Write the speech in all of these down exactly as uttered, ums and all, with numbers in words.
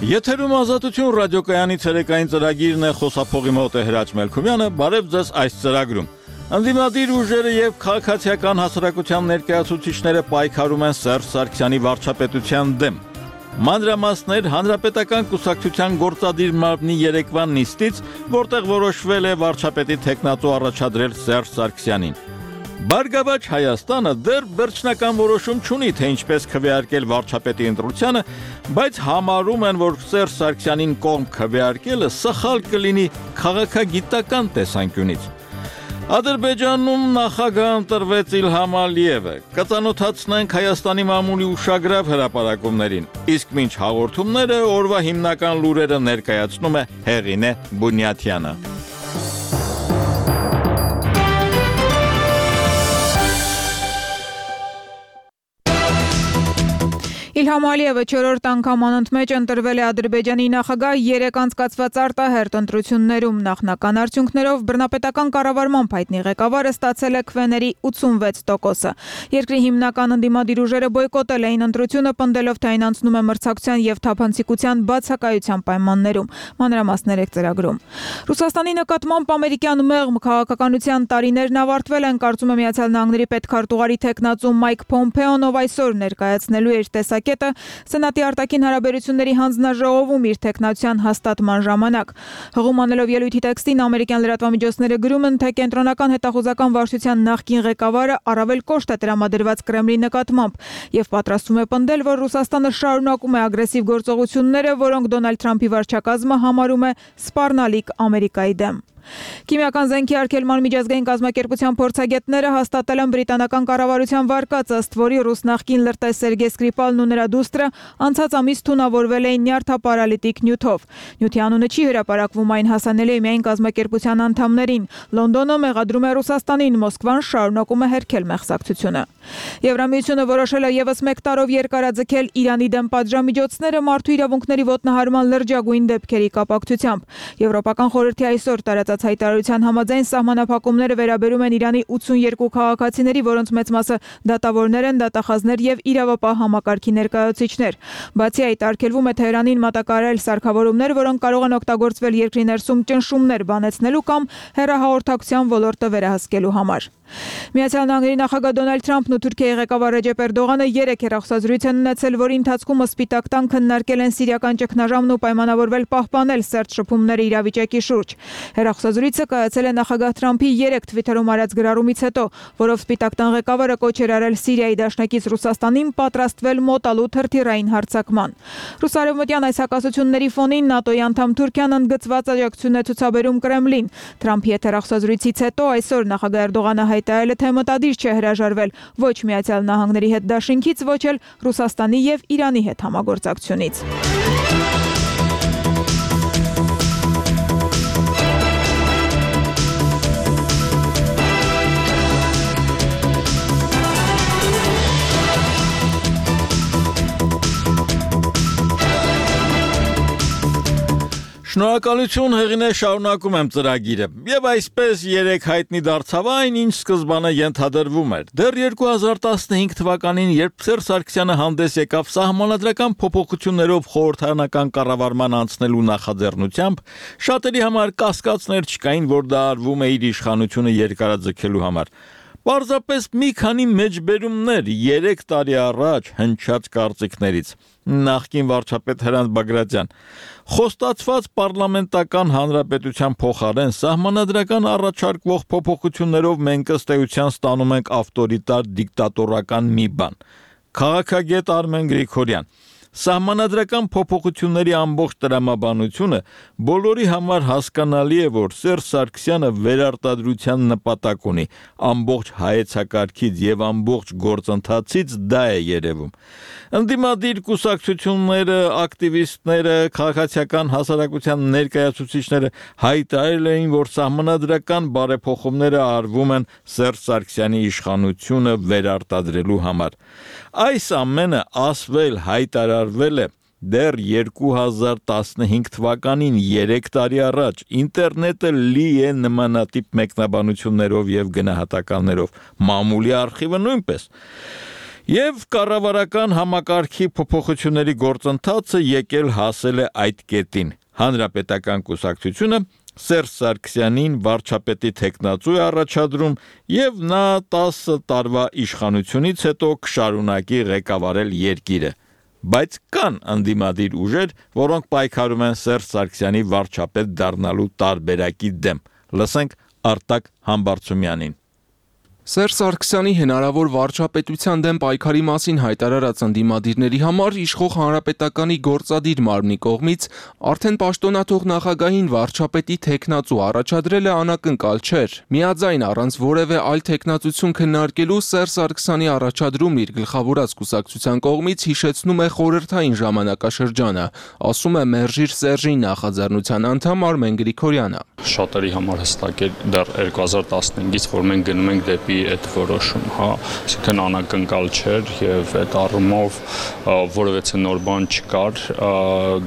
Եթերում ազատություն ռադիոկայանի ցերեկային ծրագիրն է, խոսափողի մոտ է Հրաչ Մելքումյանը, բարև ձեզ այս ծրագրում։ Ընդդիմադիր ուժերը եւ քաղաքացիական հասարակության ներկայացուցիչները պայքարում են Սերժ Սարգսյանի վարչապետության դեմ։ Մանրամասներ Հանրապետական կուսակցության գործադիր մարմնի երեկվան նիստից, որտեղ որոշվել է վարչապետի թեկնածու առաջադրել Սերժ Սարգսյանին։ Բարգավաճ Հայաստանը դեռ վերջնական որոշում չունի, թե ինչպես քվեարկել վարչապետի ընտրությանը, բայց համարում են, որ Սերժ Սարգսյանին կողմ քվեարկելը սխալ կլինի քաղաքագիտական տեսանկյունից։ Ադրբեջանում նախագահ ընտրվեց Իլհամ Ալիևը։ Կծանոթացնենք Հայաստանի մամուլի ուշագրավ հրապարակումներին, իսկ մինչ հաղորդումները օրվա հիմնական լուրերը ներկայացնում է Հեղինե Բունյաթյանը։ Իլհամ Ալիևը չորրորդ անգամ անընդմեջ ընտրվել է Ադրբեջանի նախագահ երեք անցկացված արտահերթ ընտրություններում, նախնական արդյունքներով բռնապետական կառավարման հայտնի ղեկավարը ստացել է քվեների ութսունվեց տոկոսը։ Երկրի հիմնական ընդդիմադիր ուժերը բոյկոտել էին ընտրությունը, պնդելով, թե այն անցնում է մրցակցության եւ թափանցիկության բացակայության պայմաններում։ Մանրամասներ ծրագրում։ Ռուսաստանի նկատմամբ ամերիկյան մեղմ քաղաքականության տարիներն ավարտվել են, կարծում է Միացյալ Նահանգների պետքարտուղարի թեկնածու Մայք Փոմփեոն, ով այսօր ներկայացնելու էր տեսակ Սենատի արտաքին հարաբերությունների հանձնաժողովում իր թեկնածության հաստատման ժամանակ։ Հղում անելով ելույթի տեքստին ամերիկյան լրատվամիջոցները գրում են, թե կենտրոնական հետախուզական վարչության նախկին ղեկավարը առավել կոշտ է տրամադրված Կրեմլի նկատմամբ եւ պատրաստվում է պնդել, որ Ռուսաստանը շարունակում է ագրեսիվ գործողությունները, որոնք Դոնալդ Թրամփի վարչակազմը համարում է սպառնալիք Ամերիկայի դեմ։ Քիմիական զենքի արգելման միջազգային կազմակերպության փորձագետները հաստատել են բրիտանական կառավարության վարկածը, ըստ որի ռուս նախկին լրտես Սերգեյ Սկրիպալն ու նրա դուստրը անցած ամիս թունավորվել էին նյարդապարալիտիկ նյութով։ Նյութի անունը չի հրապարակվում, այն հասանելի է միայն կազմակերպության անդամներին։ Լոնդոնը մեղադրում է Ռուսաստանին, Մոսկվան շարունակում է հերքել մեղսակցությունը։ Եվրամիությունը որոշել է եւս մեկ տարով երկարաձգել Իրանի դեմ պատժամիջոցները մարդու իրավունքների ոտնահարման լրջագույն դեպքերի կապակցությամբ։ Եվրոպական խորհրդի այսօր տարածած հայտարարության համաձայն սահմանափակումները վերաբերում են Իրանի ութսունյերկու քաղաքացիների, որոնց մեծ մասը դատավորներ են, դատախազներ եւ իրավապահ համակարգի ներկայացուցիչներ։ Բացի այդ, արգելվում է Թեհրանին մատակարարել սարքավորումներ, որոնք կարող են օգտագործվել երկրի ներսում ճնշումներ բանեցնելու կամ հեռահաղորդակցության ոլորտը վերահսկելու համար։ Միացյալ Նահանգների նախագահ Դոնալդ Թրամփն ու Թուրքիայի ղեկավար Ռեջեփ Էրդողանը երեք հեռախոսազրույց են ունեցել, որի ընթացքում սպիտակ տան քննարկել են սիրիական ճգնաժամն ու պայմանավորվել պահպանել սերտ շփումները իրավիճակի շուրջ։ Հեռախոսազրույցը կայացել է նախագահ Թրամփի երեք թվիթերում արած գրառումից հետո, որով սպիտակ տան ղեկավարը կոչ էր արել Սիրիայի դաշնակից Ռուսաստանին պատրաստվել մոտալու թրթիռային հարձակման։ Ռուսարևմտյան այս հակասությունների ֆոնին ՆԱՏՕ-ի անդամ Թուրքիան ընդգծված աջակցություն է ցուցաբերում Կրեմլին։ Թրամփի հետ հեռախոսազրույցից հետո այսօր նախագահ Էրդողանը հայտարարել է, թե մտադիր չէ հրաժարվել ոչ Միացյալ Նահանգների հետ դաշինքից, ոչ էլ Ռուսաստանի եւ Իրանի հետ համագործակցությունից։ Շնորհակալություն, Հեղինե, շարունակում եմ ծրագիրը։ Եվ այսպես երեք հայտնի դարձավ այն, ինչ սկզբանը ենթադրվում էր։ Դեռ երկու հազար տասնհինգ թվականին, երբ Սերժ Սարգսյանը հանդես եկավ սահմանադրական փոփոխություններով խորհրդարանական կառավարման անցնելու նախաձեռնությամբ, շատերի համար կասկածներ չկային, որ դա արվում է իր իշխանությունը երկարաձգելու համար։ Պարզապես մի քանի մեջբերումներ երեք տարի առաջ հնչած կարծիքներից։ Նախկին վարչապետ Հրանտ Բագրատյան. Խոստացված պարլամենտական հանրապետության փոխարեն սահմանադրական առաջարկվող փոփոխություններով մենք ըստ էության ստանում ենք ավտորիտար դիկտատորական մի բան։ Քաղաքագետ Արմեն Գրիգորյան. Սահմանադրական փոփոխությունների ամբողջ տրամաբանությունը բոլորի համար հասկանալի է, որ Սերժ Սարգսյանը վերարտադրության նպատակ ունի, ամբողջ հայեցակարգից եւ ամբողջ գործընթացից դա է երևում։ Ընդդիմադիր կուսակցությունները, ակտիվիստները, քաղաքացիական հասարակության ներկայացուցիչները հայտարարել էին, որ սահմանադրական բարեփոխումները արվում են Սերժ Սարգսյանի իշխանությունը վերարտադրելու համար։ Այս ամենը ասվել հայտարարվել է դեռ երկու հազար տասնհինգ թվականին, երեք տարի առաջ, ինտերնետը լի է նմանատիպ մեկնաբանություններով եւ գնահատականներով, մամուլի արխիվը նույնպես։ Եվ կառավարական համակարգի փոփոխությունների գործընթացը եկել հասել է այդ կետին։ Հանրապետական կուսակցությունը Սերժ Սարգսյանին վարչապետի թեկնածու է առաջադրում եւ նա տասը տարվա իշխանությունից հետո կշարունակի ղեկավարել երկիրը։ Բայց կան անդիմադիր ուժեր, որոնք պայքարում են Սերժ Սարգսյանի վարչապետ դառնալու տարբերակի դեմ։ Լսենք Արտակ Համբարձումյանին։ Սերժ Սարգսյանի հնարավոր վարչապետության դեմ պայքարի մասին հայտարարած անդիմադիրների համար իշխող հանրապետականի գործադիր մարմնի կողմից արդեն պաշտոնաթող նախագահին վարչապետի թեկնածու առաջադրելը անակնկալ չէր։ Միաձայն առանց որևէ այլ թեկնածություն քննարկելու Սերժ Սարգսյանի առաջադրումն իր գլխավորած կուսակցության կողմից հիշեցնում է խորհրդային ժամանակաշրջանը, ասում է Մերժիր Սերժին նախաձեռնության անդամ Արմեն Գրիգորյանը։ Շատերի համար հստակ է դեռ երկու հազար տասնհինգից, որ մենք գնում ենք դեպի այդ որոշում, հա, այսինքն անակնկալ չէր եւ այդ առումով որևէ նոր բան չկար,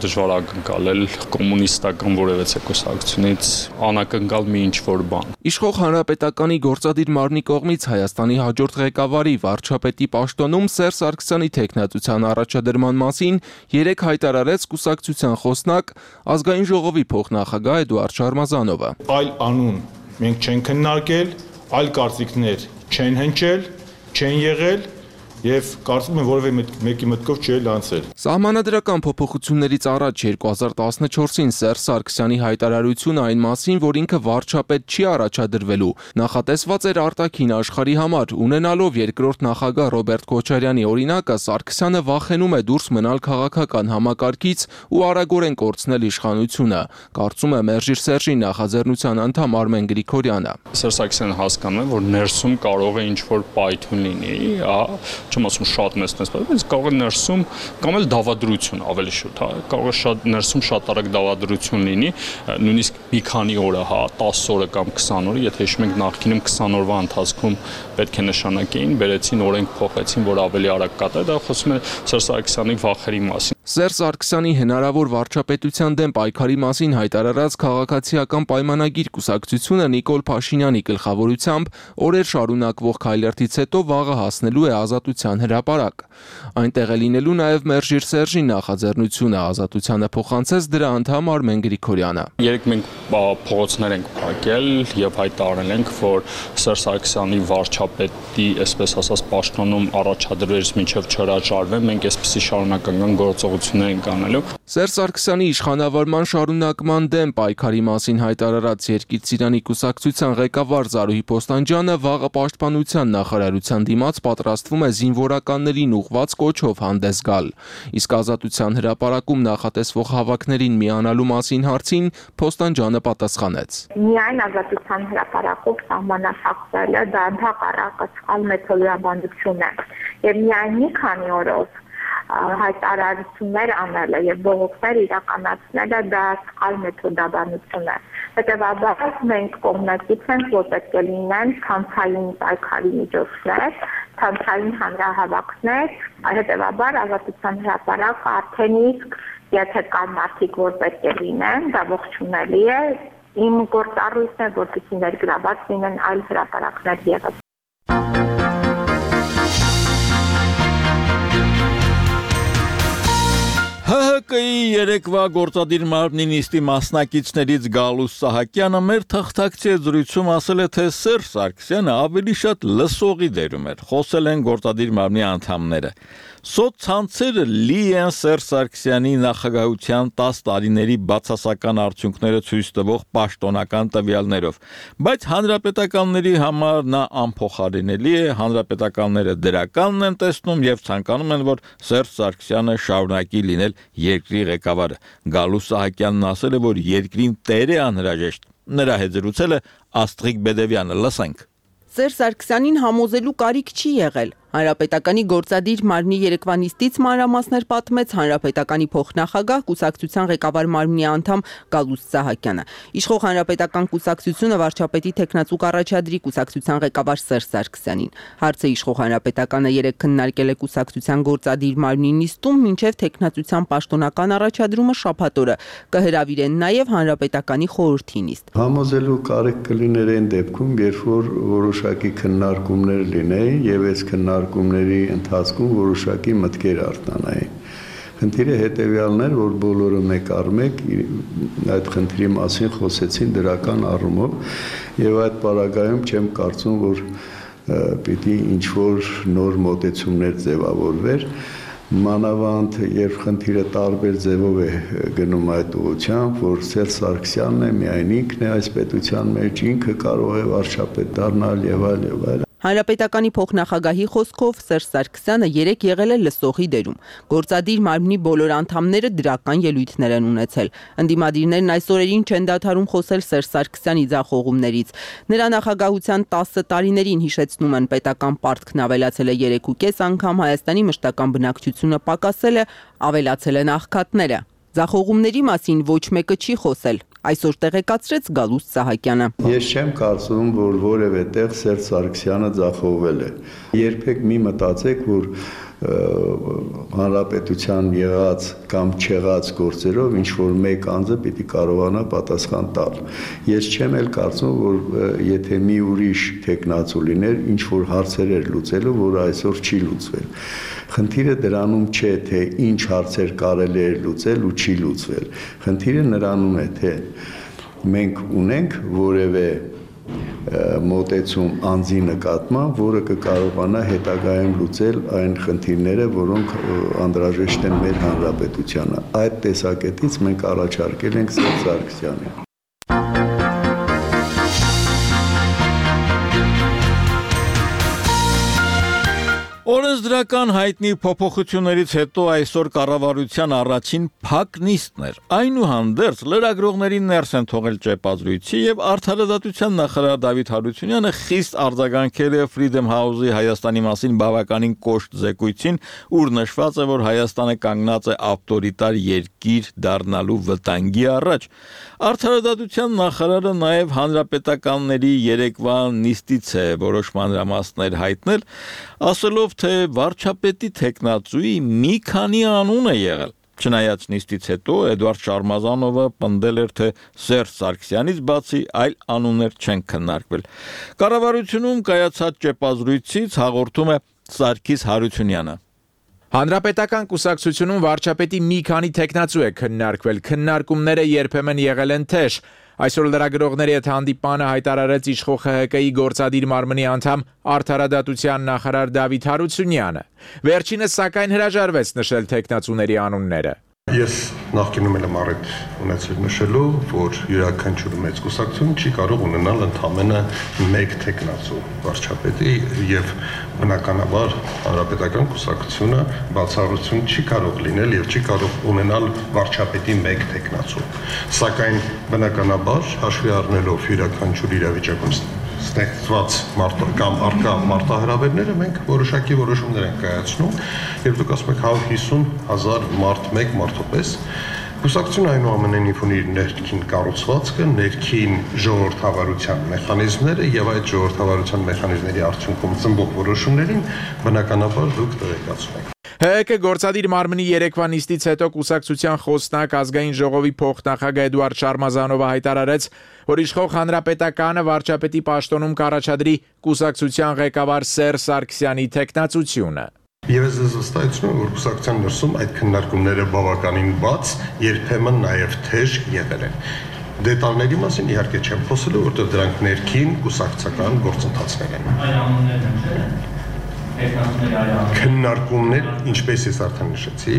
դժվար ակնկալել կոմունիստական որևէ կուսակցությունից անակնկալ մի ինչ-որ բան։ Իշխող հանրապետականի գործադիր մարմնի կողմից Հայաստանի հաջորդ ղեկավարի վարչապետի պաշտոնում Սերժ Սարգսյանի թեկնածության առաջադրման մասին երեկ հայտարարեց կուսակցության խոսնակ Ազգային ժողովի փոխնախագահ Էդուարդ Շարմազանովը։ Այլ անուն մենք չենք քննարկել, այլ կարծիքներ չեն հնչել, չեն եղել եւ կարծում եմ որևէ մեկի մտքով չի լանցել։ Սահմանադրական փոփոխություններից առաջ երկու հազար տասնչորսին Սերժ Սարգսյանի հայտարարությունը այն մասին, որ ինքը վարչապետ չի առաջադրվելու, նախատեսված էր արտաքին աշխարհի համար, ունենալով երկրորդ նախագահ Ռոբերտ Քոչարյանի օրինակը, Սարգսյանը վախենում է դուրս մնալ քաղաքական համակարգից ու արագորեն կորցնել իշխանությունը, կարծում է Մերժիր Սերժի նախաձեռնության անդամ Արմեն Գրիգորյանը։ Սերժ Սարգսյանը հասկանում է, որ ներսում կարող է ինչ-որ պայթյուն լինի, չեմ ասում շատ մեծ, բայց կարող է ներսում կամ էլ դավադրություն ավելի շուտ, հա, կարող է շատ ներսում շատ արագ դավադրություն լինի, նույնիսկ մի քանի օրը, հա, տասը օրը կամ քսան օրը, եթե հիշում եք նախկինում քսան օրվա ընթացքում պետք է նշանակեին, բերեցին օրենք փոխեցին, որ ավելի արագ կատարի, դա խոսում է Սերժ Սարգսյանի վախերի մասին։ Սերժ Սարգսյանի հնարավոր վարչապետության դեմ պայքարի մասին հայտարարած քաղաքացիական պայմանագիր կուսակցությունը Նիկոլ Փաշինյանի գլխավորությամբ օրեր շարունակվող քայլերթից հետո վաղը հասնելու է Ազատության հրապարակ։ Այնտեղ է լինելու նաև Մերժիր Սերժի նախաձեռնությունը, Ազատությանը փոխանցեց դրա անդամ Արմեն Գրիգորյանը։ Երեք մենք փողոցներ ենք փակել եւ հայտարարել ենք, որ Սերժ Սարգսյանի վարչապետի, այսպես ասած, պաշտոնում առաջադրվելուց մինչև չհրաժարվեն, մենք այսպիսի շարունակական գործողություններ ենք անելու։ Սերժ Սարգսյանի իշխանավարման շարունակման դեմ պայքարի մասին հայտարարած Երկիր Ծիրանի կուսակցության ղեկավար Զարուհի Պոստանջյանը վաղը պաշտպանության նախարարության դիմաց պատրաստվում է զինվորականներին ուղղված կոչով հանդես գալ։ Իսկ Ազատության հրապարակում նախատեսվող հավաքներին միանալու մասին հարցին Պոստանջյանը պատասխանեց. Միայն Ազատության հրապարակով սահմանափակվելը դա ընդհակառակը սխալ մեթոդաբանություն է եւ միայն մի քանի օրով հայտարարություններ անելը եւ բողոքներ իրականացնելը դա սխալ մեթոդաբանություն է։ Հետևաբար մենք կողմնակից ենք, որ պետք է լինեն ցանցային պայքարի միջոցներ, ցանցային հանրահավաքներ, հետևաբար Ազատության հրապարակը արդեն իսկ եթե կան մարդիկ, որ պետք է լինեն, դա ողջունելի է։ Իմ գործառույթն է, որպեսզի ներգրաված լինեն այլ հրապարակներ ևս։ Հ Հ Կի երեկվա գործադիր մարմնի նիստի մասնակիցներից Գալուստ Սահակյանը մեր թղթակցի զրույցում ասել է, թե Սերժ Սարգսյանը ավելի շատ լսողի դերում էր։ Խոսել են գործադիր մարմնի անդամները։ Սոցցանցերը լի են Սերժ Սարգսյանի նախագահության տասը տարիների բացասական արդյունքները ցույց տվող պաշտոնական տվյալներով, բայց հանրապետականների համար նա անփոխարինելի է, հանրապետականները դրականն են տեսնում եւ ցանկանում են, որ Սերժ Սարգսյանը շարունակի լինել երկրի ղեկավարը։ Գալուստ Սահակյանն ասել է, որ երկրին տեր է անհրաժեշտ։ Նրա հետ զրուցել է Աստղիկ Բեդևյանը, լսենք։ Սերժ Սարգսյանին համոզելու կարիք չի եղել։ Հանրապետականի գործադիր մարմնի երեկվա նիստից մանրամասներ պատմեց հանրապետականի փոխնախագահ կուսակցության ղեկավար մարմնի անդամ Գալուստ Սահակյանը։ Իշխող հանրապետական կուսակցությունը վարչապետի թեկնածու կառաջադրի կուսակցության ղեկավար Սերժ Սարգսյանին։ Հարցը իշխող հանրապետականը երեկ քննարկել է կուսակցության գործադիր մարմնի նիստում, մինչև թեկնածության պաշտոնական առաջադրումը շաբաթ օրը կհրավիրեն նաև հանրապետականի խորհրդի նիստ։ Համոզելու կարիք կլիներ այն դեպքում, երբ որ որոշակի քննարկումներ լինեին եւ այս քննարկումները քննարկումների ընթացքում որոշակի մտքեր արտանային։ Խնդիրը հետևյալն էր, որ բոլորը մեկ առ մեկ այդ խնդրի մասին խոսեցին դրական առումով եւ այդ պարագայում չեմ կարծում, որ պիտի ինչ-որ նոր մոտեցումներ ձևավորվեր, մանավանդ երբ խնդիրը տարբեր ձևով է գնում այդ ուղղությամբ, որ Սերժ Սարգսյանն է, միայն ինքն է այս պետության մեջ, ինքը կարող է վարչապետ դառնալ եւ այլ եւ այլ։ Հանրապետականի փոխնախագահի խոսքով Սերժ Սարգսյանը երեք եղել է լսողի դերում։ Գործադիր մարմնի բոլոր անդամները դրական ելույթներ են ունեցել։ Ընդդիմադիրներն այս օրերին չեն դադարում խոսել Սերժ Սարգսյանի ձախողումներից։ Նրա նախագահության տասը տարիներին, հիշեցնում են, պետական պարտքն ավելացել է երեքուկես անգամ, Հայաստանի մշտական բնակչությունը պակասել է, ավելացել են աղքատները։ Ձախողումների մասին ոչ մեկը չի խոսել։ Այսօր տեղեկացրեց Գալուստ Սահակյանը։ Ես չեմ կարծում, որ որևէ տեղ Սերժ Սարգսյանը ձախողվել է։ Երբեք մի մտածեք, որ հանրապետության եղած կամ չեղած գործերով ինչ որ մեկ անձը պիտի կարողանա պատասխան տալ։ Ես չեմ էլ կարծում, որ եթե մի ուրիշ տեխնացու լիներ, ինչ որ հարցեր էր լուծելու, որ այսօր չի լուծվել։ Խնդիրը դրանում չէ, թե ինչ հարցեր կարելի է լուծել ու չի լուծվել։ Խնդիրը նրանում է, թե մենք ունենք որևէ մոտեցում անձի նկատմամբ, որը կկարողանա հետագայում լուծել այն խնդիրները, որոնք անհրաժեշտ են մեր հանրապետությանը։ Այդ տեսակետից մենք առաջարկել ենք Սերժ Սարգսյանին։ Օրենսդրական հայտնի փոփոխություններից հետո այսօր կառավարության առաջին փակ նիստն էր։ Այնուհանդերձ լրագրողներին ներս են թողել ճեպազրույցի եւ Արդարադատության նախարար Դավիթ Հարությունյանը խիստ արձագանքել է Freedom House-ի Հայաստանի մասին բավականին կոշտ զեկույցին, ուր նշված է, որ Հայաստանը կանգնած է ավտորիտար երկիր դառնալու վտանգի առաջ։ Արդարադատության նախարարը նաև հանրապետականների երեկվա նիստից է որոշ մանրամասներ հայտնել, ասելով, թե վարչապետի տեխնացուի մի քանի անուն է եղել։ Չնայած նիստից հետո Էդվարդ Շարմազանովը պնդել էր, թե Սերժ Սարգսյանից բացի այլ անուններ չեն քննարկվել։ Կառավարությունում կայացած ճեպազրույցից հաղորդում է Սարգիս Հարությունյանը։ Հանրապետական կուսակցությունում վարչապետի մի քանի տեխնացու է քննարկվել, քննարկումները երբեմն եղել են թեժ։ Այսօր լրագրողների հետ հանդիպանը հայտարարեց իշխող Խ Հ Կ-ի գործադիր մարմնի անդամ Արդարադատության նախարար Դավիթ Հարությունյանը։ Վերջինս սակայն հրաժարվեց նշել տեխնացուների անունները։ Ես նախկինում եմ առիթ ունեցել նշելու, որ յուրաքանչյուր մեծ կուսակցություն չի կարող ունենալ ընդամենը մեկ տեխնացու վարչապետի եւ բնականաբար հանրապետական կուսակցությունը բացառություն չի կարող լինել եւ չի կարող ունենալ վարչապետի մեկ տեխնացու։ Սակայն բնականաբար հաշվի առնելով յուրաքանչյուր իրավիճակում ստեղծված կամ արկա մարտահրավերները մենք որոշակի որոշումներ ենք կայացնում եւ դուք ասում եք հարյուր հիսուն հազար մարդ մեկ մարդոպես կուսակցությունը այնուամենայնիվ ունի իր ներքին կառուցվածքը, ներքին ժողովրդավարության մեխանիզմները եւ այդ ժողովրդավարության մեխանիզմների արդյունքում ծնվող որոշումներին բնականաբար դուք տեղեկացնում եք։ Հ Ը Կ գործադիր մարմնի երեկվա նիստից հետո կուսակցության խոսնակ ազգային ժողովի փոխնախագահ Էդվարդ Շարմազանովը հայտարարեց, որ իշխող հանրապետականը վարչապետի պաշտոնում կառաջադրի կուսակցության ղեկավար Սերժ Սարգսյանի տեխնացությունը։ Եվ ես վստահեցնում եմ, որ կուսակցության ներսում այդ քննարկումները բավականին բաց, երբեմն նաև թեժ եղել են։ Դետալների մասին իհարկե չեմ խոսելու, որտեղ դրանք ներքին կուսակցական գործընթացներ են։ Այլ անուններ են, չէ՞։ Քննարկումներ, ինչպես ես արդեն նշեցի,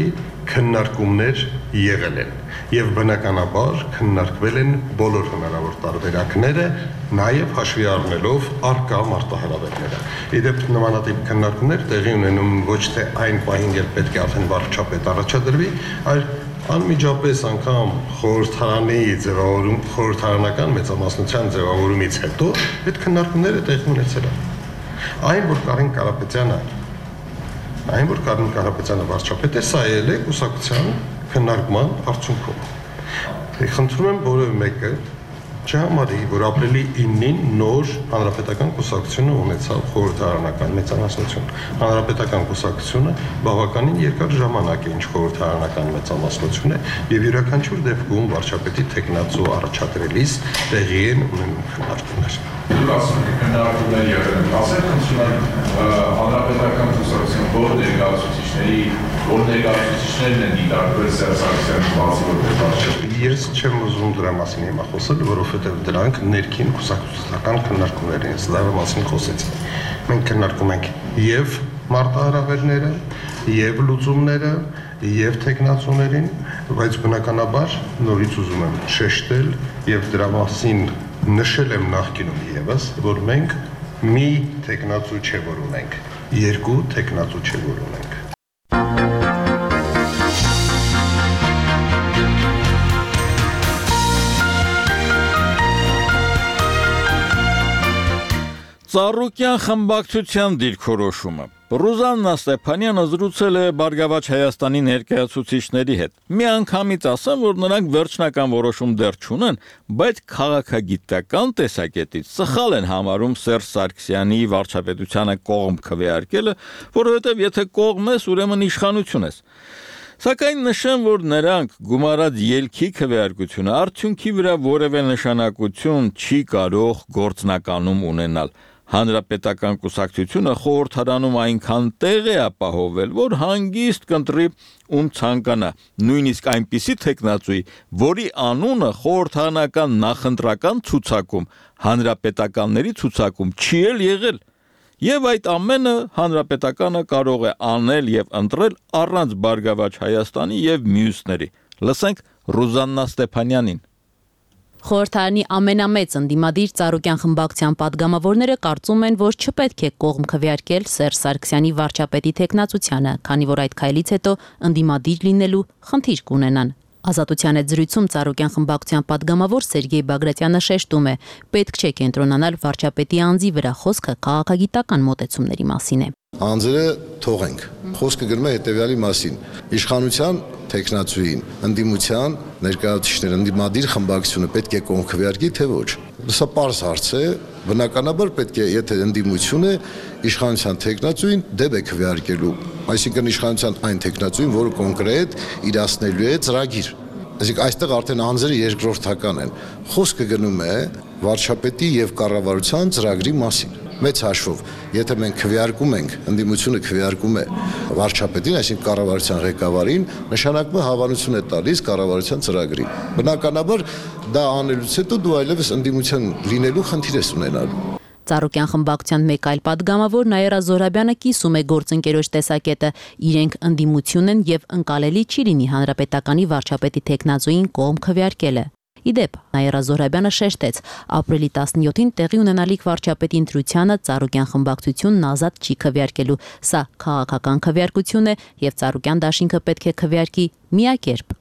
քննարկումներ եղել են եւ բնականաբար քննարկվել են բոլոր հնարավոր տարբերակները, նաեւ հաշվի առնելով արկա մարտահրավերները։ Իդեպ նմանատիպ քննարկումներ տեղի ունենում ոչ թե այն պահին, երբ պետք է արդեն վարչապետ առաջադրվի, այլ անմիջապես անգամ խորհրդարանի ձևավորում, խորհրդարանական մեծամասնության ձևավորումից հետո այդ քննարկումները տեղի ունեցել են։ Այն, որ Կարեն Կարապետյանը, այն, որ Կարեն Կարապետյանը վարչապետ է, սա ել է կուսակցության քննարկման արդյունքում։ Խնդրում եմ որևէ մեկը Չհամարի, որ ապրիլի իննին նոր հանրապետական կուսակցությունը ունեցավ խորհրդարանական մեծամասնություն։ Հանրապետական կուսակցությունը բավականին երկար ժամանակ է ինչ խորհրդարանական մեծամասնություն է եւ յուրաքանչյուր դեպքում վարչապետի տեխնացու առաջադրելիս տեղի են ունենում քննարկումներ։ Դուք ասում եք քննարկումներ եղել, ասեք հանրապետական կուսակցության որ ներկայացուցիչների որ ներկայացուցիչներն են դիտարկվել Սերժ Սարգսյանի բացի որպես վարչապետ։ Ես չեմ ուզում դրա մասին հիմա խոսել, որովհետև դրանք ներքին կուսակցական քննարկումներ են, դրա մասին խոսեցի։ Մենք քննարկում ենք եւ մարտահրավերները, եւ լուծումները, եւ տեխնացուներին, բայց բնականաբար նորից ուզում եմ շեշտել եւ դրա մասին նշել եմ նախկինում եւս, որ մենք մի տեխնացու չէ որ ունենք, երկու տեխնացու չէ որ ունենք։ Ծառուկյան խմբակցության դիրքորոշումը Ռուզաննա Ստեփանյանը զրուցել է Բարգավաճ Հայաստանի ներկայացուցիչների հետ։ Միանգամից ասեմ, որ նրանք վերջնական որոշում դեռ չունեն, բայց քաղաքագիտական տեսակետից սխալ են համարում Սերժ Սարգսյանի վարչապետությանը կողմ քվեարկելը, որովհետև եթե կողմ ես, ուրեմն իշխանություն ես։ Սակայն նշեմ, որ նրանք գումարած ելքի քվեարկությունը արդյունքի վրա որևէ նշանակություն չի կարող գործնականում ունենալ։ Հանրապետական կուսակցությունը խորհրդարանում այնքան տեղ է ապահովել, որ հանգիստ կընտրի ում ցանկանա, նույնիսկ այնպիսի տեխնացուի, որի անունը խորհրդարանական նախընտրական ցուցակում, հանրապետականների ցուցակում չի էլ եղել։ Եվ այդ ամենը հանրապետականը կարող է անել եւ ընտրել առանց Բարգավաճ Հայաստանի եւ մյուսների։ Լսենք Ռուզաննա Ստեփանյանին։ Խորհրդարանի ամենամեծ ընդդիմադիր Ծառուկյան խմբակցության падգամավորները կարծում են, որ չպետք է կողմ քվեարկել Սերժ Սարգսյանի վարչապետի տեխնացությանը, քանի որ այդ քայլից հետո ընդդիմադիր լինելու խնդիր կունենան։ Ազատության հետ զրույցում Ծառուկյան խմբակցության падգամավոր Սերգեյ Բագրատյանը շեշտում է, պետք չէ կենտրոնանալ վարչապետի անձի վրա, խոսքը քաղաքագիտական մոտեցումների մասին է։ Անձերը թողենք։ Խոսքը գնում է հետևյալի մասին. իշխանության տեխնացուին, ընդդիմության ներկայացուցիչները, ընդդիմադիր խմբակցությունը պետք է կողմ քվեարկի, թե ոչ։ Սա պարզ հարց է, բնականաբար պետք է, եթե ընդդիմություն է, իշխանության տեխնացուին դեպ է քվեարկելու, այսինքն իշխանության այն տեխնացուին, որը կոնկրետ իրացնելու է ծրագիր։ Այսինքն այստեղ արդեն անձերը երկրորդական են։ Խոսքը գնում է վարչապետի եւ կառավարության ծրագրի մասին։ Մեծ հաշվով, եթե մենք քվեարկում ենք, ընդդիմությունը քվեարկում է վարչապետին, այսինքն կառավարության ղեկավարին, նշանակում է հավանություն է տալիս կառավարության ծրագրին։ Բնականաբար դա անելուց հետո դու այլևս ընդդիմության լինելու խնդիր ես ունենալու։ Ծառուկյան խմբակցության մեկ այլ падգամավոր Նաիրա Զոհրաբյանը կիսում է գործընկերոջ տեսակետը, իրենք ընդդիմություն են եւ ընկալելի չի լինի հանրապետականի վարչապետի տեխնացուին կողմ քվեարկելը։ Իդեպ, Նաիրա Զոհրաբյանը շեշտեց, ապրիլի տասնյոթին տեղի ունենալիք վարչապետի ընտրությանը Ծառուկյան խմբակցությունն ազատ չի քվեարկելու։ Սա քաղաքական քվեարկություն է եւ Ծառուկյան դաշինքը պետք է քվեարկի միակերպ։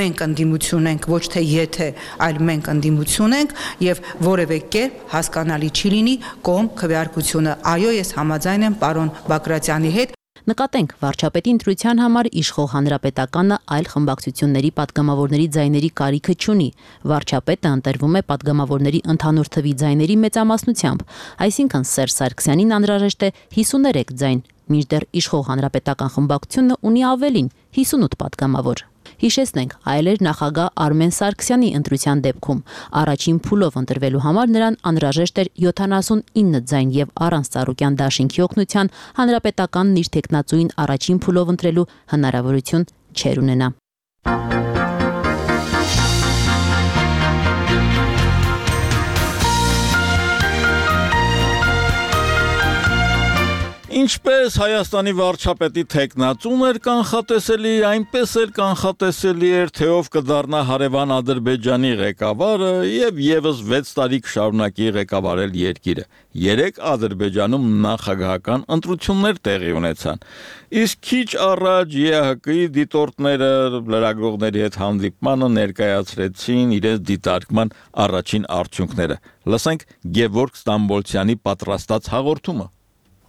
Մենք ընդդիմություն ենք, ոչ թե եթե, այլ մենք ընդդիմություն ենք եւ որևէ կերպ հասկանալի չի լինի կողմ քվեարկությունը։ Այո, ես համաձայն եմ պարոն Բագրատյանի հետ։ Նկատենք, վարչապետի ընտրության համար իշխող հանրապետականը այլ խմբակցությունների падգամավորների ձայների կարիքը չունի։ Վարչապետը ընտրվում է падգամավորների ընդհանուր թվի ձայների մեծամասնությամբ, այսինքն Սերժ Սարգսյանին անհրաժեշտ է հիսուներեք ձայն, մինչդեռ իշխող հանրապետական խմբակցությունը ունի ավելին՝ հիսունութ падգամավոր։ Հիշեցնենք, այլ էր նախագահ Արմեն Սարգսյանի ընտրության դեպքում։ Առաջին փուլով ընտրվելու համար նրան անհրաժեշտ էր յոթանասունինը ձայն եւ առանց Ծառուկյան դաշինքի օգնության հանրապետականն իր տեխնացուին առաջին փուլով ընտրելու հնարավորություն չեր ունենա։ Ինչպես Հայաստանի վարչապետի տեխնացուն էր կանխատեսելի, այնպես էլ կանխատեսելի էր, թե ով կդառնա հարևան Ադրբեջանի ղեկավարը եւ եւս վեց տարի կշարունակի ղեկավարել երկիրը։ Երեք Ադրբեջանում նախագահական ընտրություններ տեղի ունեցան։ Իսկ քիչ առաջ ԵՀԿ-ի դիտորդները լրագրողների հետ հանդիպմանը ներկայացրեցին իրենց դիտարկման առաջին արդյունքները։ Լսենք Գևորգ Ստամբոլցյանի պատրաստած հաղորդումը։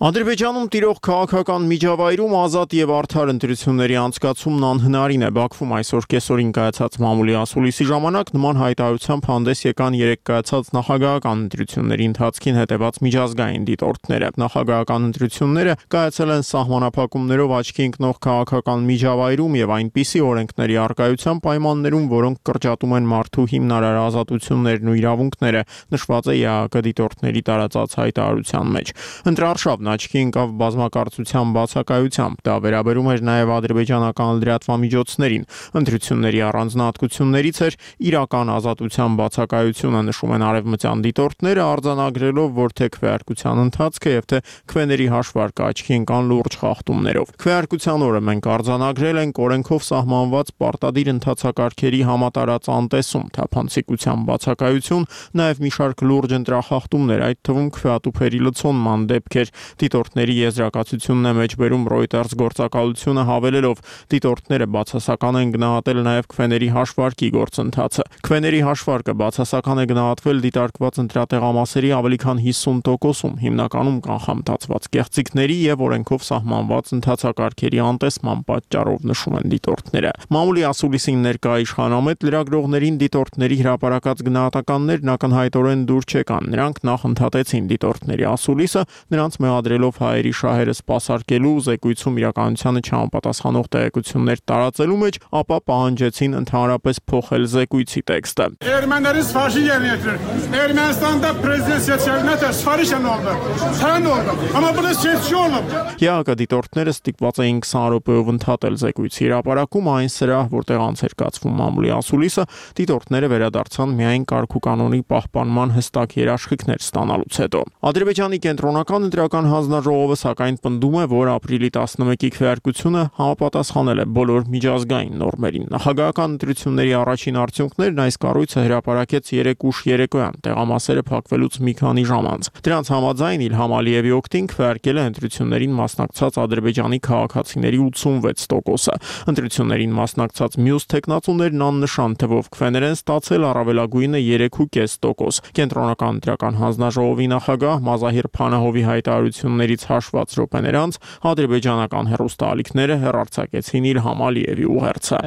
Ադրբեջանում տիրող քաղաքական միջավայրում ազատ եւ արդար ընտրությունների անցկացումն անհնարին է։ Բաքվում այսօր կեսօրին կայացած մամուլի ասուլիսի ժամանակ նման հայտարարությամբ հանդես եկան երեք կայացած նախագահական ընտրությունների ընթացքին հետևած միջազգային դիտորդները։ Նախագահական ընտրությունները կայացել են սահմանափակումներով աչքի ընկնող քաղաքական միջավայրում եւ այնպիսի օրենքների առկայության պայմաններում, որոնք կրճատում են մարդու հիմնարար ազատություններն ու իրավունքները, նշված է ԵԱՀԿ դիտորդների տարածած հայտարարության մեջ։ Ընտրարշավն աչքի ընկավ բազմակարծության բացակայությամբ, դա վերաբերում էր նաև ադրբեջանական լրատվամիջոցներին։ Ընտրությունների առանձնահատկություններից էր իրական ազատության բացակայությունը, նշում են արևմտյան դիտորդները, արձանագրելով, որ թե քվեարկության ընթացքը եւ թե քվեների հաշվարկը աչքի ընկան լուրջ խախտումներով։ Քվեարկության օրը մենք արձանագրել ենք օրենքով սահմանված պարտադիր ընթացակարգերի համատարած անտեսում, թափանցիկության բացակայություն, նաև մի շարք լուրջ ընտրախախտումներ, այդ թվում քվեատուփերի լցոնման դեպքեր։ Դիտորդների եզրակացությունն է մեջբերում Reuters գործակալությունը հավելելով. դիտորդները բացասական են գնահատել նաև քվեների հաշվարկի գործընթացը։ Քվեների հաշվարկը բացասական է գնահատվել դիտարկված ընտրատեղամասերի ավելի քան հիսուն տոկոսում, հիմնականում կանխամտածված կեղծիքների եւ օրենքով սահմանված ընթացակարգերի անտեսման պատճառով, նշում են դիտորդները։ Մամուլի ասուլիսին ներկա իշխանամետ լրագրողներին դիտորդների հրապարակած գնահատականներն ակնհայտորեն դուր չեկան։ Նրանք նախ ընդհատեցին դիտորդների ասուլիսը, նրանց մեղադրելով հայերի շահերը սպասարկելու, զեկույցում իրականությանը չհամապատասխանող տեղեկություններ տարածելու մեջ, ապա պահանջեցին ընդհանրապես փոխել զեկույցի տեքստը։ Ermenilerin savaşı yerine getirir. Ermenistan'da prezident seçildiğinde savaşan oldu. Sen oldu. Ama bunu seçici oldu. ԵԱՀԿ դիտորդները ստիպված էին քսան րոպեով ընդհատել զեկույցի հրապարակում, այն սրահ, որտեղ անց էր կացվում մամուլի ասուլիսը, դիտորդները վերադարձան միայն կարգուկանոնի պահպանման հստակ երաշխիքներ ստանալուց հետո։ Ադրբեջանի կենտրոնական ընտրական հանձնաժողովը սակայն պնդում է, որ ապրիլի տասնմեկի քվեարկությունը համապատասխանել է բոլոր միջազգային նորմերին։ Նախագահական ընտրությունների առաջին արդյունքներն այս կառույցը հրապարակեց երեք ուշ երեկոյան, տեղամասերը փակվելուց մի քանի ժամ անց։ Դրանց համաձայն Իլհամ Ալիևի օգտին քվեարկել է ընտրություններին մասնակցած ադրբեջանի քաղաքացիների ութսունվեց տոկոսը։ Ընտրություններին մասնակցած մյուս տեխնացուներն աննշան թվով քվեներ են ստացել, առավելագույնը երեք ու կես տոկոս։ Կենտրոնական ընտրական հանձնաժողովի նախագահ Մազահիր Փանահովի հայտարարություններից հաշված րոպեներ անց ադրբեջանական հեռուստաալիքները հեռարձակեցին Իլհամ Ալիևի ուղերձը։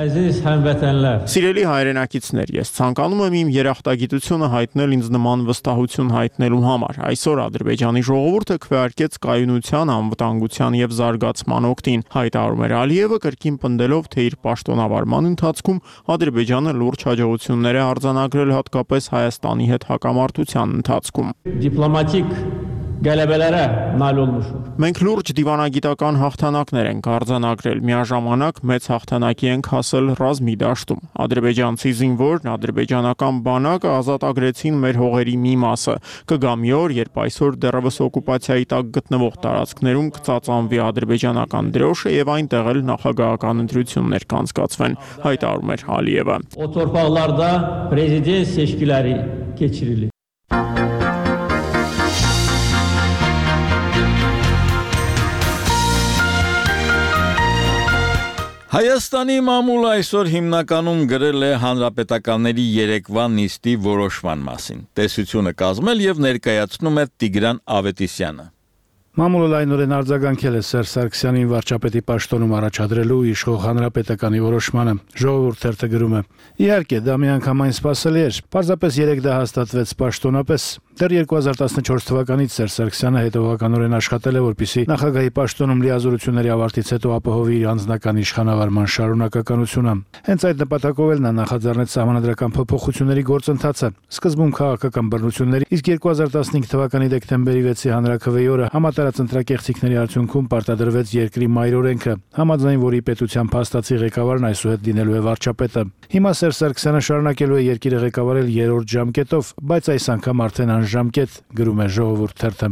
Սիրելի հայրենակիցներ, ես ցանկանում եմ իմ երախտագիտությունը հայտնել ինձ նման վստահություն հայտնելու համար։ Այսօր Ադրբեջանի ժողովուրդը քվեարկեց կայունության, անվտանգության եւ զարգացման օգտին, հայտարարում էր Ալիևը, կրկին պնդելով, թե իր պաշտոնավարման ընթացքում Ադրբեջանը լուրջ հաջողություններ է արձանագրել հատկապես Հայաստանի հետ հակամարտության ընթացքում։ Դիպլոմատիկ գալեբելերը նալ olmuşuz։ Մենք լուրջ դիվանագիտական հաղթանակներ ենք արձանագրել, միաժամանակ մեծ հաղթանակի ենք հասել ռազմի դաշտում։ Ադրբեջանցի զինվորն, ադրբեջանական բանակը ազատագրեցին մեր հողերի մի մասը։ Կգա մի օր, երբ այսօր դեռևս օկուպացիայի տակ գտնվող տարածքներում կծածանվի ադրբեջանական դրոշը եւ այնտեղ էլ նախագահական ընտրություններ կանցկացվեն, հայտարարում էր Ալիևը։ O torpaqlarda prezident seçkiləri keçirilir։ Հայաստանի մամուլը այսօր հիմնականում գրել է հանրապետականների երեկվա նիստի որոշման մասին։ Տեսությունը կազմել եւ ներկայացնում է Տիգրան Ավետիսյանը։ Մամուլը լայնորեն արձագանքել է Սերժ Սարգսյանին վարչապետի պաշտոնում առաջադրելու իշխող հանրապետականի որոշմանը։ Ժողովուրդ թերթը գրում է. Իհարկե, դա միանգամայն սպասելի էր։ Պարզապես երեք դա հաստատվեց պաշտոնապես։ Դեռ երկու հազար տասնչորս թվականից Սերժ Սարգսյանը հետևողականորեն աշխատել է, որպեսզի նախագահի պաշտոնում լիազորությունների ավարտից հետո ապահովի իր անձնական իշխանավարման շարունակականությունը։ Հենց այդ նպատակով էլ նա նախաձեռնեց սահմանադրական փոփոխությունների գործընթացը։ Սկզբում քաղաքական բռնությունների, իսկ երկու հազար տասնհինգ թվականի դեկտեմբերի վեցի հանրաքվեի օրը համատարած ընտրակեղծիքների արդյունքում պարտադրվեց երկրի մայրօրենքը, համաձայն որի պետության փաստացի ղեկավարն այսուհետ լինելու է վարչապետը։ Հիմա Սերժ Սարգսյանը շարունակելու է երկիրը ղեկավարել երրորդ ժամկետով, բայց այս անգամ արդեն անժամկետ, գրում է Ժողովուրդ թերթը։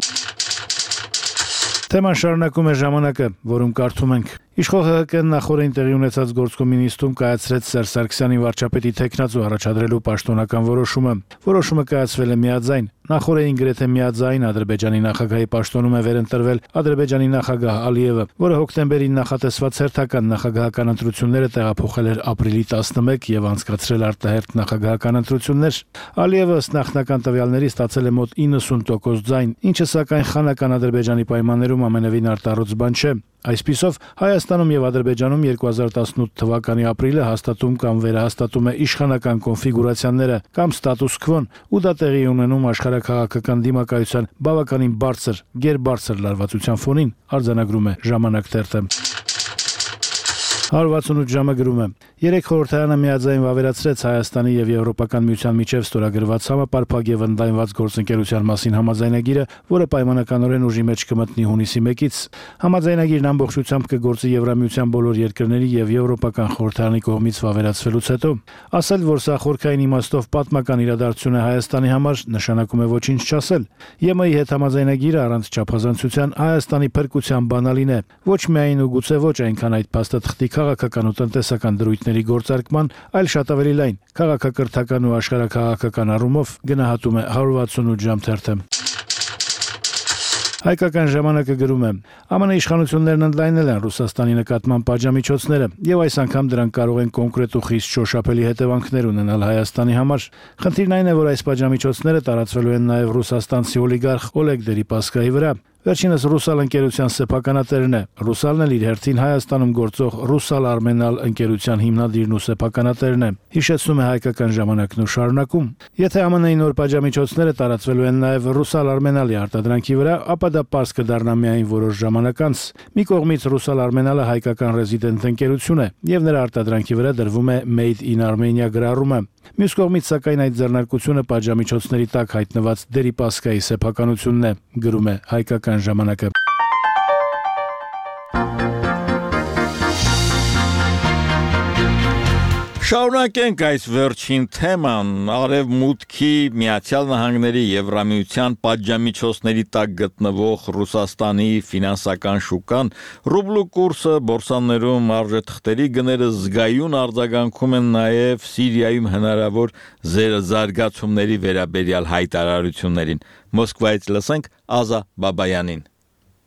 Թեման շարունակում է Ժամանակը, որում կարդում ենք. Իշխող ՀՀԿ-ն նախորդին տեղի ունեցած գործկոմի նիստում կայացրեց Սերժ Սարգսյանի վարչապետի թեկնածու առաջադրելու պաշտոնական որոշումը։ Որոշումը կայացվել է միաձայն։ Նախորդին գրեթե միաձայն Ադրբեջանի նախագահի պաշտոնում է վերընտրվել Ադրբեջանի նախագահ Ալիևը, որը հոկտեմբերին նախատեսված հերթական նախագահական ընտրությունները տեղափոխել էր ապրիլի տասնմեկ եւ անցկացրել արտահերթ նախագահական ընտրություններ։ Ալիևը ըստ նախնական տվյալների ստացել է մոտ իննսուն տոկոս ձայն, ինչը սակայն խանական Ադրբեջանի պայմաններում ամենևին արտառոց բան չէ։ Այսպիսով Հայաստանում եւ Ադրբեջանում երկու հազար տասնութ թվականի ապրիլը հաստատում կամ վերահաստատում է իշխանական կոնֆիգուրացիաները կամ ստատուս քվոն, ու դա տեղի ունենում աշխարհաքաղաքական դիմակայության բավականին բարձր, գերբարձր լարվածության ֆոնին, արձանագրում է Ժամանակ թերթը։ հարյուր վաթսունութ ժամը գրում է. Երեք խորհրդարանը միաձայն վավերացրեց Հայաստանի եւ Եվրոպական միության միջև ստորագրված համապարփակ եւ ընդլայնված գործընկերության մասին համաձայնագիրը, որը պայմանականորեն ուժի մեջ կմտնի հունիսի մեկից։ Համաձայնագիրն ամբողջությամբ կգործի Եվրամիության բոլոր երկրների եւ Եվրոպական խորհրդարանի կողմից վավերացվելուց հետո։ Ասել, որ սա խորքային իմաստով պատմական իրադարձություն է Հայաստանի համար, նշանակում է ոչինչ չասել։ ԵՄ-ի հետ համաձայնագիրը առանց չափազանցության Հայաստանի փրկության բանալին է։ Ոչ միայն ու գուցե ոչ այնքան այդ փաստաթղթի քաղաքական ու տնտեսական դրույթների գործարկման, այլ շատ ավելի լայն քաղաքակրթական ու աշխարհաքաղաքական առումով, գնահատում է հարյուր վաթսունութ ժամ թերթը։ Հայկական ժամանակը գրում է. ԱՄՆ իշխանություններն ընդլայնել են Ռուսաստանի նկատմամբ պատժամիջոցները եւ այս անգամ դրանք կարող են կոնկրետ ու խիստ շոշափելի հետևանքներ ունենալ Հայաստանի համար։ Խնդիրն այն է, որ այս պատժամիջոցները տարածվելու են նաեւ ռուսաստանցի օլիգարխ Օլեգ Դերիպասկայի վրա։ Վերջինս Ռուսալ ընկերության սեփականատերն է։ Ռուսալն էլ իր հերթին Հայաստանում գործող Ռուսալ Արմենալ ընկերության հիմնադիրն ու սեփականատերն է։ Հիշեցնում է Հայկական ժամանակն ու շարունակում. Եթե ԱՄՆ-ի նոր պատժամիջոցները տարածվելու են նաև Ռուսալ Արմենալի արտադրանքի վրա, ապա դա պարզ կդառնա միայն որոշ ժամանակ անց։ Մի կողմից Ռուսալ Արմենալը հայկական ռեզիդենտ ընկերություն է, եւ նրա արտադրանքի վրա դրվում է Made in Armenia գրառումը։ Մյուս կողմից սակայն այդ ձեռնարկությունը պատժամիջոցների տակ հայտնված Դերիպասկայի սեփականությունն է, գրում է Հայկական ժամանակը։ Շարունակենք այս վերջին թեման, Արևմուտքի, Միացյալ Նահանգների, Եվրամիության պատժամիջոցների տակ գտնվող Ռուսաստանի ֆինանսական շուկան, ռուբլու կուրսը, բորսաներում արժեթղթերի գները զգայուն արձագանքում են նաև Սիրիայում հնարավոր զարգացումների վերաբերյալ հայտարարություններին։ Մոսկվայից լսենք Ազա Բաբայանին։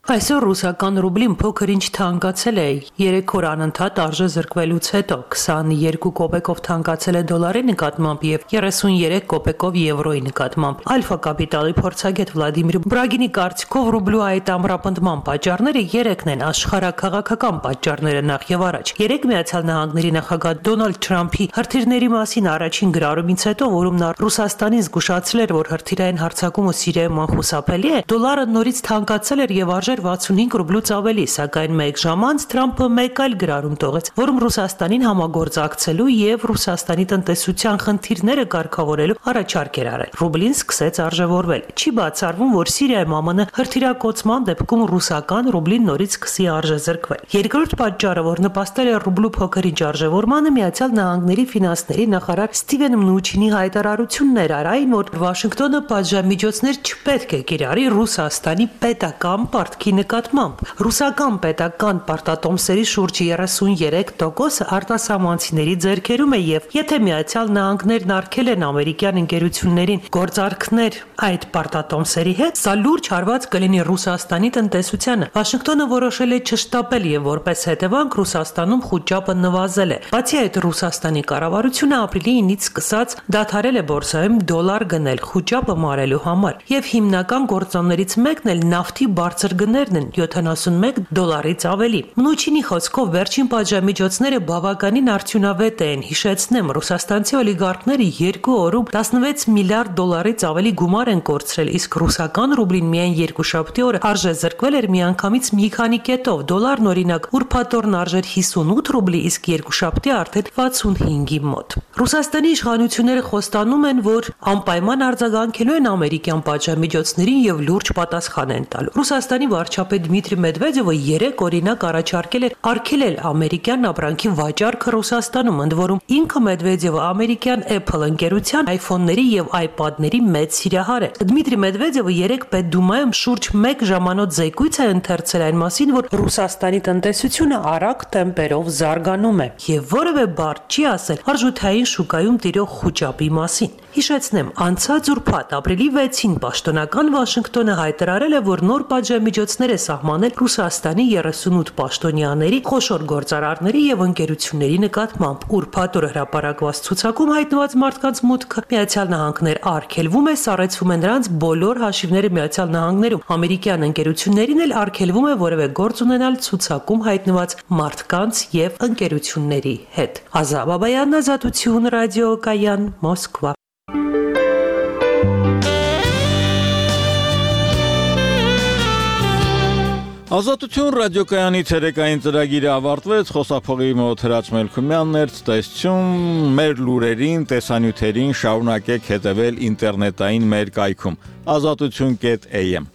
Այսօր ռուսական ռուբլին փոքր-ինչ թանկացել է, երեք օր անընդհատ արժե զրկվելուց հետո, քսաներկու կոպեկով թանկացել է դոլարի նկատմամբ եւ երեսունյերեք կոպեկով եվրոյի նկատմամբ։ Ալֆա կապիտալի փորձագետ Վլադիմիր Բրագինի կարծիքով ռուբլու այդ ամրապնդման պատճառները երեքն են, աշխարհաքաղաքական պատճառները նախ եւ առաջ։ Երեք Միացյալ Նահանգների նախագահ Դոնալդ Թրամփի հրթիռների մասին առաջին գրառումից հետո, որում նա Ռուսաստանին զգուշացրել էր, որ հրթիռային հարձակումը Սիրիայում անխուսափելի է, դոլարը նորից թանկացել էր եւ արժեր վաթսունհինգ ռուբլուց ավելի, սակայն մեկ ժամ անց Թրամփը մեկ այլ գրառում տողեց, որում Ռուսաստանին համագործակցելու եւ Ռուսաստանի տնտեսության խնդիրները կարգավորելու առաջարկ էր արել։ Ռուբլին սկսեց արժևորվել։ Չի բացառվում, որ Սիրիայում ԱՄՆ հրթիռակոծման դեպքում ռուսական ռուբլին նորից սկսի արժեզրկվել։ Երկրորդ պատճառը, որ նպաստել է ռուբլու փոքրինչ արժևորմանը, Միացյալ Նահանգների ֆինանսների նախարար Ստիվեն Մնուչինի հայտարարություններ էր այն, որ Վաշինգտոնը պատժամիջոցներ չպետք է կիրառի Ռուսաստանի պետական պարտքի նկատմամբ։ Ռուսական պետական պարտատոմսերի շուրջ երեսունյերեք տոկոսը արտասահմանցիների ձեռքերում է եւ եթե Միացյալ Նահանգներն արգել են ամերիկյան ընկերություններին գործարքներ այդ պարտատոմսերի հետ, սա լուրջ հարված կլինի Ռուսաստանի տնտեսությանը։ Վաշինգտոնը որոշել է չշտապել եւ որպես հետևանք Ռուսաստանում խոճապը նվազել է։ Բացի այդ, Ռուսաստանի կառավարությունը ապրիլի ինից սկսած դադարել է բորսայում դոլար գնել խոճապը մարելու համար եւ հիմնական գործոններից մեկն էլ նավթի բարձր գներն են յոթանասունմեկ դոլարից ավելի։ Մնուչինի խոսքով վերջին պատժամիջոցները բավականին արդյունավետ են։ Հիշեցնեմ, ռուսաստանցի օլիգարխները երկու օրում տասնվեց միլիարդ դոլարից ավելի գումար են կորցրել, իսկ ռուսական ռուբլին միայն երկուշաբթի օրը արժեզրկվել էր միանգամից մի քանի կետով։ Դոլարն օրինակ ուրբաթ օրն արժեր հիսունութ ռուբլի, իսկ երկուշաբթի արդեն վաթսունհինգի մոտ։ Ռուսաստանի իշխանությունները խոստանում են, որ անպայման արձագանքելու են ամերիկյան պատժամիջոցներին եւ լուրջ պատասխան են տալու։ Ռուսաստանի վարչապետ Դմիտրի Մեդվեդևը երեք օրինակ առաջարկել էր արգելել ամերիկյան ապրանքի վաճառքը Ռուսաստանում, ընդ որում ինքը Մեդվեդևը ամերիկյան Apple ընկերության iPhone-ների եւ iPad-ների մեծ սիրահար է։ Դմիտրի Մեդվեդևը երեք Պետդումայում շուրջ մեկ ժամանոց զեկույց է ընթերցել այն մասին, որ Ռուսաստանի տնտեսությունը արագ տեմպերով զարգանում է եւ որևէ բառ չի ասել արժութային շուկայում տիրող խուճապի մասին։ Հիշեցնեմ, անցած ուրբաթ ապրիլի վեցին պաշտոնական Վաշինգտոնը հայտարարել է, որ նոր պատժամիջոցներ է սահմանել Ռուսաստանի երեսունութ պաշտոնյաների, խոշոր գործարարների եւ ընկերությունների նկատմամբ։ Ուրբաթ օր հրապարակված ցուցակում հայտնված մարդկանց մուտքը Միացյալ Նահանգներ արգելվում է, սառեցվում է նրանց բոլոր հաշիվները Միացյալ Նահանգներում։ Ամերիկյան ընկերություններին էլ արգելվում է որևէ գործ ունենալ ցուցակում հայտնված մարդկանց եւ ընկերությունների հետ։ Ազա Բաբայան, Ազատություն, ռադիոկայան, Մոսկվա։ Ազատություն ռադիոկայանի ցերեկային ծրագիրը ավարտվեց, խոսափողի մոտ Հրաչ Մելքումյանն էր, ցտեսություն, մեր լուրերին, տեսանյութերին շարունակեք հետևել ինտերնետային մեր կայքում ազատություն կետ էյ էմ